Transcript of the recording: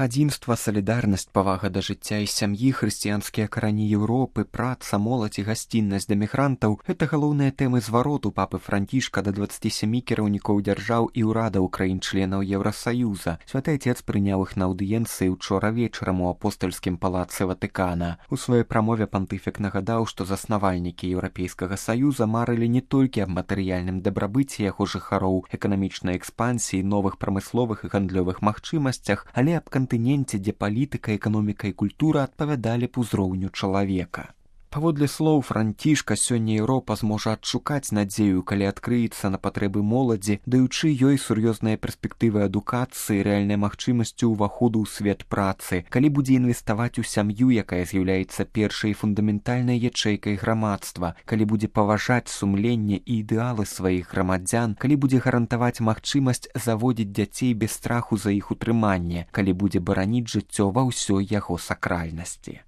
Адзінства, салідарнасць, павага да жыцця і сям'і, хрысціянскія карані Еўропы, праца, моладзь і гасціннасць да мігрантаў – гэта галоўныя тэмы звароту папы Францішка да 27 кіраўнікоў дзяржаў і ўрадаў краін-членаў Еўрасаюза. Святы Отец прыняў іх на аўдыенцыі ўчора вечарам у апостальскім палацы Ватыкана. У сваёй прамове пантыфік нагадаў, што заснавальнікі Еўрапейскага Саюза марылі не толькі аб матэрыяльным дабрабыце яго жыхароў, эканамічнай экспансіі, новых прамысловых і гандлёвых магчымасцях, але аб кантыненце, дзе палітыка, эканоміка і культура адпавядалі б узроўню чалавека. Паводле слоў Францішка, сёння Еўропа зможа адшукаць надзею, калі адкрыецца на патрэбы моладзі, даючы ёй сур'ёзныя перспектывы адукацыі, рэальнай магчымасцю ўваходу ў свет працы, калі будзе інвеставаць у сям'ю, якая з'яўляецца першай фундаментальнай ячэйкай грамадства, калі будзе паважаць сумленне і ідэалы сваіх грамадзян, калі будзе гарантаваць магчымасць заводзіць дзяцей без страху за іх утрыманне, калі будзе бараніць жыццё ва ўсёй яго сакральнасці.